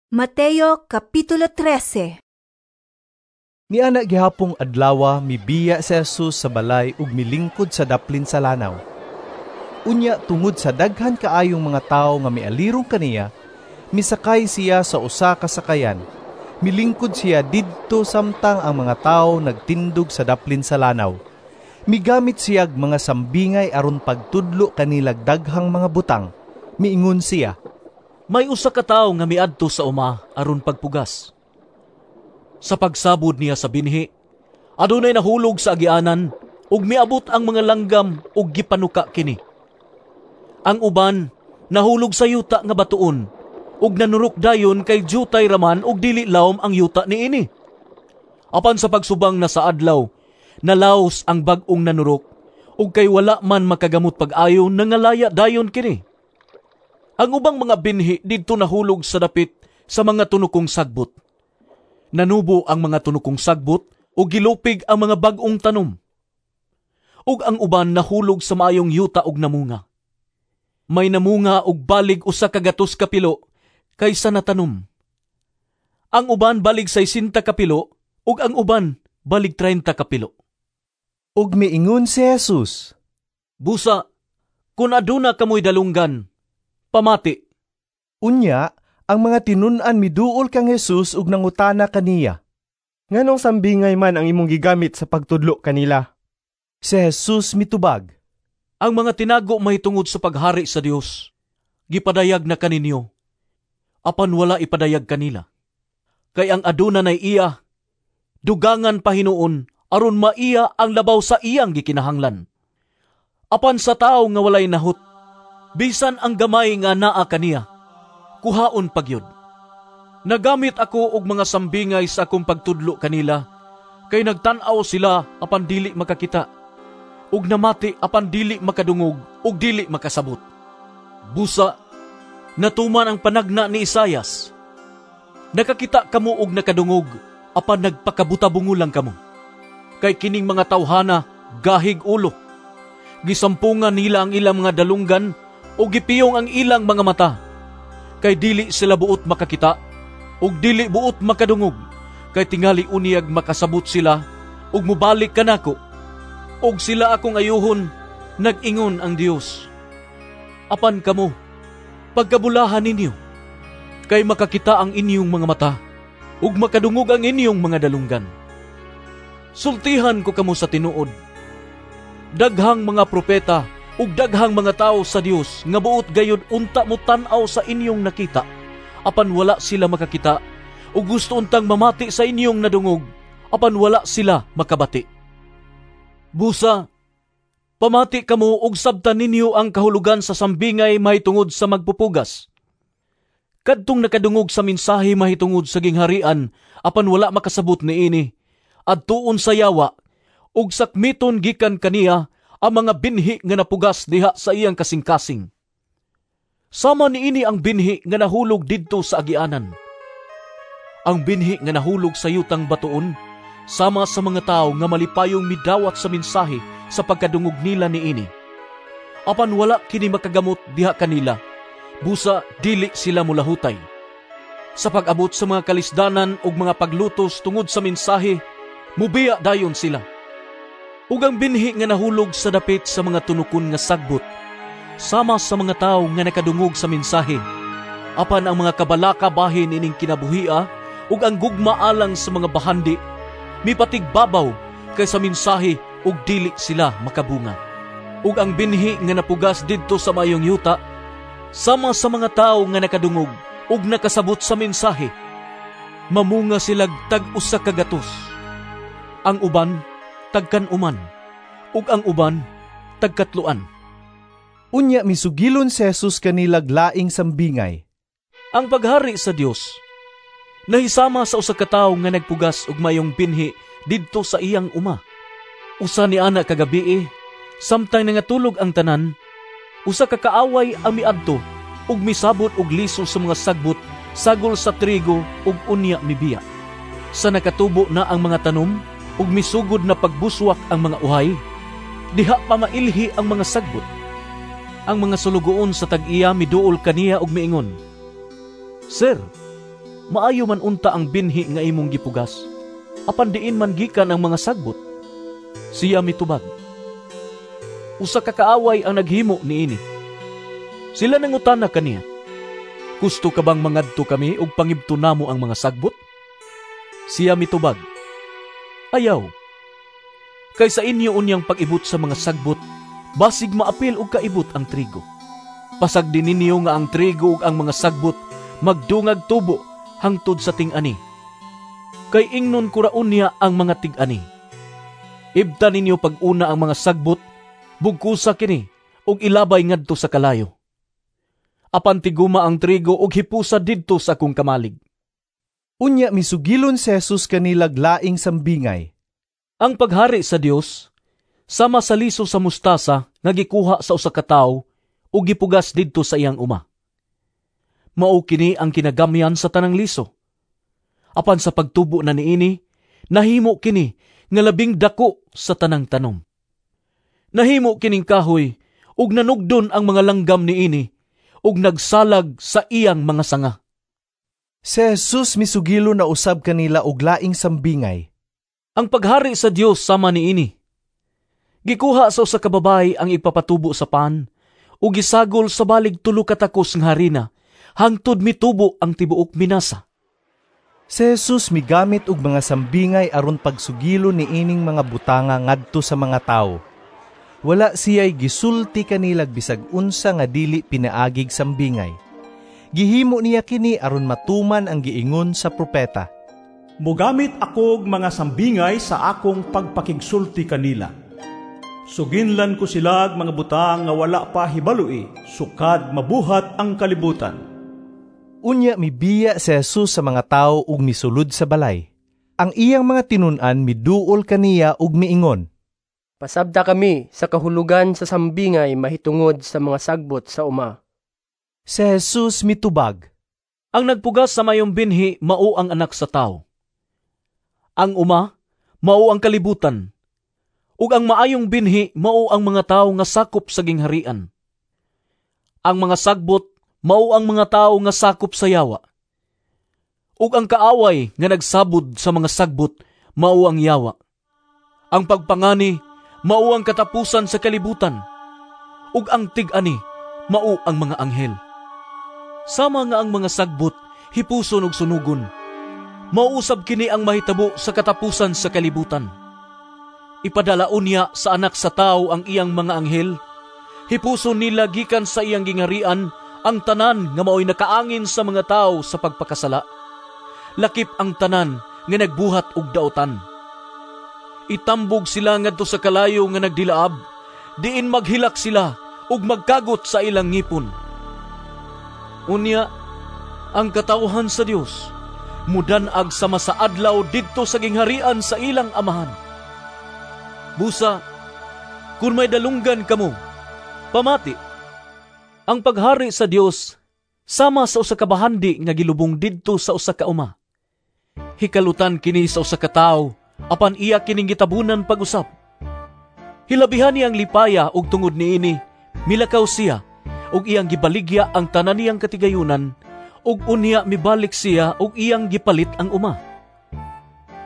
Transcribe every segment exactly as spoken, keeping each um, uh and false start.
Mateo Kapitulo trese. Niana gihapong adlawa, mibiya si Jesus sa balay ug milingkod sa daplin sa lanaw. Unya tungod sa daghan kaayong mga tawo nga mialirong kaniya, misakay siya sa usa ka sakayan. Milingkod siya didto samtang ang mga tawo nagtindog sa daplin sa lanaw. Migamit siyag mga sambingay aron pagtudlo kanilag daghang mga butang. Miingon siya, "May usa ka tawo nga miadto sa uma aron pagpugas. Sa pagsabod niya sa binhi, adunay nahulog sa agianan ug miabot ang mga langgam ug gipanuka kini. Ang uban nahulog sa yuta nga batuon ug nanurok dayon kay jutay raman ug dili lawom ang yuta niini. Apan sa pagsubang na sa adlaw, nalaos ang bag-ong nanurok ug kay wala man makagamot pag-ayo, nangalaya dayon kini. Ang ubang mga binhi didto nahulog sa dapit sa mga tunukong sagbot. Nanubo ang mga tunukong sagbot ug gilupig ang mga bag-ong tanom. Ug ang uban nahulog sa maayong yuta ug namunga. May namunga og balig usa ka gatos kapilo kaysa natanom. Ang uban balig saisinta kapilo ug ang uban balig traynta kapilo." Ug miingon si Jesus, "Busa, kun aduna kamoy dalunggan, pamati." Unya, ang mga tinun-an miduol kang Jesus ug nangutana kaniya, "Nganong sambingay man ang imong gigamit sa pagtudlo kanila?" Si Jesus mitubag, "Ang mga tinago mahitungod sa paghari sa Dios, gipadayag na kaninyo, apan wala ipadayag kanila. Kay ang aduna nay iya, dugangan pa hinuon aron maiya ang labaw sa iyang gikinahanglan. Apan sa tawo nga walay nahut, bisan ang gamay nga naa kaniya, kuhaon pagyud. Nagamit ako og mga sambingay sa akong pagtudlo kanila, kay nagtan-aw sila apan dili makakita, ug namati apan dili makadungog ug dili makasabot. Busa, natuman ang panagna ni Isayas: 'Nakakita kamo og nakadungog, apan nagpakabutabungo lang kamo. Kay kining mga tawhana gahig ulo. Gisampungan nila ang ilang mga dalunggan ug gipiyong ang ilang mga mata. Kay dili sila buot makakita ug dili buot makadungog, kay tingali unyag makasabot sila ug mobalik kanako, ug sila akong ayuhon, nag-ingon ang Dios.' Apan kamo, pagkabulahan ninyo, kay makakita ang inyong mga mata ug makadungog ang inyong mga dalunggan. Sultihan ko kamo sa tinuod, daghang mga propeta ug daghang mga tawo sa Dios nga buot gayud unta mo tan-aw sa inyong nakita, apan wala sila makakita, ug gusto untang mamati sa inyong nadungog, apan wala sila makabati. Busa, pamati kamo ug sabtan ninyo ang kahulugan sa sambingay mahitungod sa magpupugas. Kadtong nakadungog sa mensahe mahitungod sa gingharian, apan wala makasabot niini, adtuon sa yawa, ug sakmiton gikan kaniya ang mga binhi nga napugas diha sa iyang kasing-kasing. Sama niini ang binhi nga nahulog didto sa agianan. Ang binhi nga nahulog sa yutang batuon, sama sa mga tawo nga malipayong midawat sa mensahe sa pagkadungog nila niini. Apan wala kini makagamot diha kanila, busa dili sila mulahutay. Sa pag-abot sa mga kalisdanan ug mga paglutos tungod sa mensahe, mubiya dayon sila. Ug ang binhi nga nahulog sa dapit sa mga tunukon nga sagbot, sama sa mga tawo nga nakadungog sa mensahe, apan ang mga kabalaka bahin ining kinabuhia ug ang gugma alang sa mga bahandi mipatigbabaw kaysa mensahe ug dili sila makabunga. Ug ang binhi nga napugas didto sa maayong yuta, sama sa mga tawo nga nakadungog ug nakasabot sa mensahe, mamunga silag tag usa ka gatos. Ang uban tagkan-uman, ug ang uban tagkatloan." Unya misugilon si Jesus kanilag laing sambingay. "Ang paghari sa Dios nahisama sa usa ka tawo nga nagpugas og mayong binhi didto sa iyang uma. Usa ni ana ka gabii, samtang nangatulog ang tanan, usa ka kaaway ang miadto ug misabot og liso sa mga sagbot sagol sa trigo ug unya mibiya. Sa nakatubo na ang mga tanom ug misugod na pagbuswak ang mga uhay, diha pa mailhi ang mga sagbot. Ang mga sulugoon sa tag-iya miduol kaniya ug miingon, 'Sir, Maayo man unta ang binhi nga imong gipugas, apan diin man gikan ang mga sagbot?" Siya mitubag, "Usa ka kaaway ang naghimo niini." Sila nangutana kaniya, "Gusto ka bang mangadto kami ug pangibto namo ang mga sagbot?" Siya mitubag, "Ayaw. Kay sa inyo unyang pag-ibot sa mga sagbot, basig maapil og kaibot ang trigo. Pasagdi ninyo nga ang trigo ug ang mga sagbot magdungag tubo hangtod sa ting-ani. Kay ingnon ko ra unya ang mga tig-ani, 'Ibta ninyo pag-una ang mga sagbot, bugkusa kini ug ilabay ngadto sa kalayo. Apan tiguma ang trigo ug hipusa didto sa akong kamalig.'" Unya misugilon si Jesus kanilag laing sambingay. Ang paghari sa Dios sama sa liso sa mustasa nga gikuha sa usa ka tawo ug gipugas didto sa iyang uma. Mao kini ang kinagamyan sa tanang liso. Apan sa pagtubo na niini, nahimo kini nga labing dako sa tanang tanom. Nahimo kining kahoy ug nanugdon ang mga langgam niini ug nagsalag sa iyang mga sanga. Si Jesus misugilon na usab kanila og laing sambingay. Ang paghari sa Dios sama niini. Gikuha sa usa ka babayi ang igpapatubo sa pan ug gisagol sa balig tulo ka takos nga harina hangtod mitubo ang tibuok minasa. Si Jesus migamit og mga sambingay aron pagsugilon niining mga butanga ngadto sa mga tawo. Wala siya'y gisulti kanilag bisag unsa nga dili pinaagig sambingay. Gihimo niya kini aron matuman ang giingon sa propeta. Mogamit akog mga sambingay sa akong pagpakigsulti kanila. Suginlan ko silag mga butang nga wala pa hibaloi, sukad mabuhat ang kalibutan. Unya mibiya si Jesus sa mga tawo ug misulod sa balay. Ang iyang mga tinun-an miduol kaniya ug miingon, "Pasabta kami sa kahulugan sa sambingay mahitungod sa mga sagbot sa uma." Si Jesus mitubag, Ang nagpugas sa mayong binhi mao ang Anak sa Tawo. Ang uma mao ang kalibutan, ug ang maayong binhi mao ang mga tawo nga sakop sa gingharian. Ang mga sagbot mao ang mga tawo nga sakop sa yawa. Ug ang kaaway nga nagsabod sa mga sagbot mao ang yawa. Ang pagpangani mao ang katapusan sa kalibutan, ug ang tig-ani mao ang mga anghel. Sama nga ang mga sagbot hipuson ug sunugon, mauusab kini ang mahitabo sa katapusan sa kalibutan. Ipadalaon niya sa Anak sa Tawo ang iyang mga anghel, hipuson nila gikan sa iyang gingharian ang tanan nga maoy nakaangin sa mga tawo sa pagpakasala, lakip ang tanan nga nagbuhat og daotan. Itambog sila ngadto sa kalayo nga nagdilaab, diin maghilak sila ug magkagot sa ilang ngipon. Unya, ang katawhan sa Dios mudan-ag sama sa adlaw didto sa gingharian sa ilang amahan. Busa, kun may dalunggan kamo, pamati. Ang paghari sa Dios sama sa usa ka bahandi nga gilubong didto sa usa ka uma. Hikalutan kini sa usa ka tawo, apan iya kining gitabunan pag-usap. Hilabihan niyang lipaya ug tungod niini milakaw siya ug iyang gibaligya ang tanan niyang katigayunan, ug unya mibalik siya ug iyang gipalit ang uma.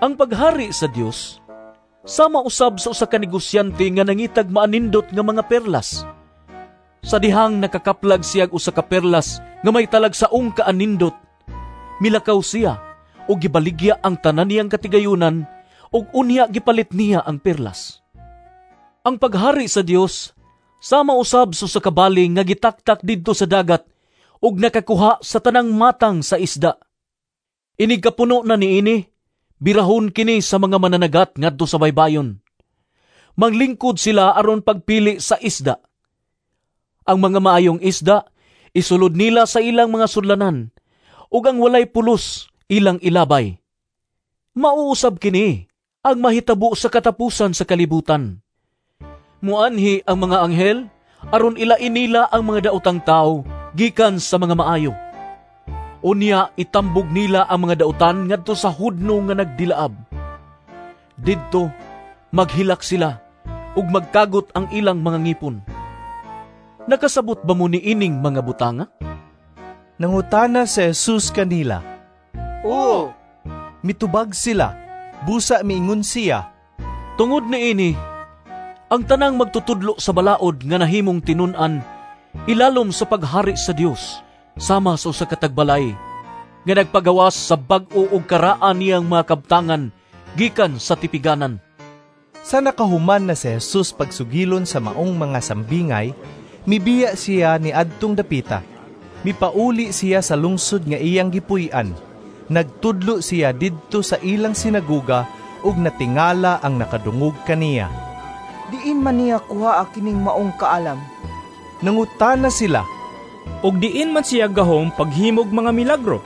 Ang paghari sa Dios sama usab sa usa ka negosyante nga nangitag maanindot nga mga perlas. Sa dihang nakakaplag siya og usa ka perlas nga may talagsaong kaanindot, milakaw siya ug gibaligya ang tanan niyang katigayunan ug unya gipalit niya ang perlas. Ang paghari sa Dios sama usab sa usa ka baling nga gitaktak didto sa dagat ug nakakuha sa tanang matang sa isda. Inig kapuno na niini, birahon kini sa mga mananagat ngadto sa baybayon. Manglingkod sila aron pagpili sa isda. Ang mga maayong isda isulod nila sa ilang mga sudlanan, ug ang walay pulos ilang ilabay. Mauusab kini ang mahitabo sa katapusan sa kalibutan. Muanhi ang mga anghel aron ilain nila ang mga daotang tawo gikan sa mga maayo. Unya itambog nila ang mga daotan ngadto sa hudno nga nagdilaab. Didto maghilak sila ug magkagot ang ilang mga ngipon. Nakasabot ba mo niining mga butanga? Nangutana si Jesus kanila. Oo. Mitubag sila. Busa miingon siya, "Tungod niini, ang tanang magtutudlo sa balaod nga nahimong tinun-an ilalom sa paghari sa Dios sama sa usa ka tagbalay nga nagpagawas sa bag-o ug karaan niyang mga kabtangan gikan sa tipiganan." Sa nakahuman na si Jesus pagsugilon sa maong mga sambingay, mibiya siya ni adtong dapita. Mipauli siya sa lungsod nga iyang gipuy-an. Nagtudlo siya didto sa ilang sinaguga ug natingala ang nakadungog kaniya. "Diin man niya kuhaa kining maong kaalam?" Nangutana sila, "Ug diin man siya gahom paghimog mga milagro?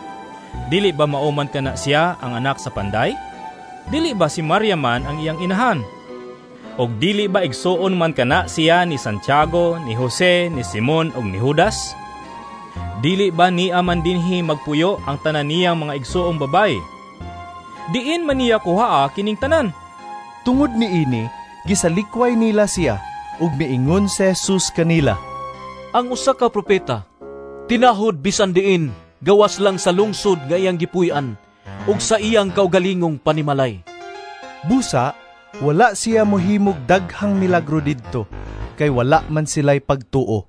Dili ba mao man kana siya ang anak sa panday? Dili ba si Maria man ang iyang inahan? Og dili ba igsuon man kana siya ni Santiago, ni Jose, ni Simon ug ni Judas? Dili ba niya man dinhi magpuyo ang tanan niyang mga igsuong babayi? Diin man niya kuhaa kining tanan?" Tungod niini, gisalikway nila siya, ug miingon si Jesus kanila, "Ang usa ka propeta tinahod bisan diin gawas lang sa lungsod nga iyang gipuy-an ug sa iyang kaugalingong panimalay." Busa, wala siya mohimog daghang milagro didto, kay wala man sila'y pagtuo.